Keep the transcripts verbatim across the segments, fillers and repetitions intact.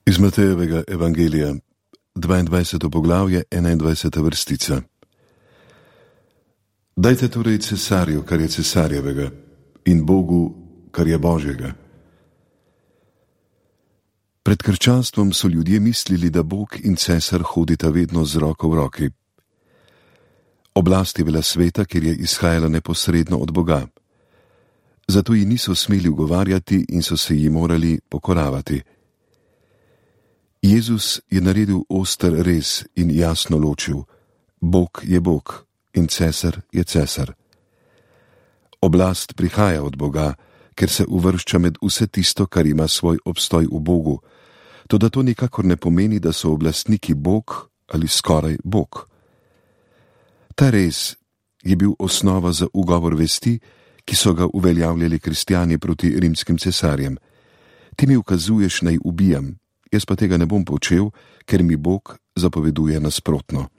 Iz Matejevega evangelija, dvaindvajseto poglavje, enaindvajseta vrstica. Dajte torej cesarju, kar je cesarjevega, in Bogu, kar je Božjega. Pred krščanstvom so ljudje mislili, da Bog in cesar hodita vedno z roko v roki. Oblast je bila sveta, ker je izhajala neposredno od Boga. Zato ji niso smeli ugovarjati in so se ji morali pokoravati. Jezus je naredil oster rez in jasno ločil: Bog je Bog in cesar je cesar. Oblast prihaja od Boga, ker se uvršča med vse tisto, kar ima svoj obstoj v Bogu, toda to nikakor ne pomeni, da so oblastniki Bog ali skoraj Bog. Ta rez je bil osnova za ugovor vesti, ki so ga uveljavljali kristjani proti rimskim cesarjem. Ti mi ukazuješ, naj ubijam, jaz pa tega ne bom počel, ker mi Bog zapoveduje nasprotno.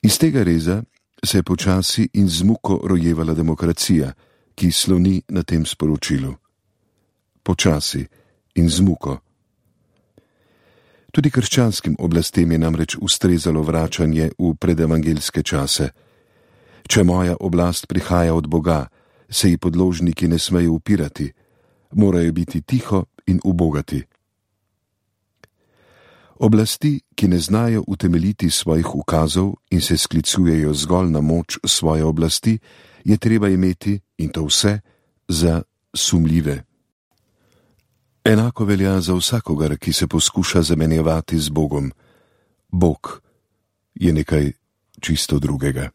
Iz tega reza se je počasi in z muko rojevala demokracija, ki sloni na tem sporočilu. Počasi in z muko. Tudi krščanskim oblastem je namreč ustrezalo vračanje v predevangelske čase. Če moja oblast prihaja od Boga, se ji podložniki ne smejo upirati, morajo biti tiho in ubogati. Oblasti, ki ne znajo utemeljiti svojih ukazov in se sklicujejo zgolj na moč svoje oblasti, je treba imeti, in to vse, za sumljive. Enako velja za vsakogar, ki se poskuša zamenjevati z Bogom. Bog je nekaj čisto drugega.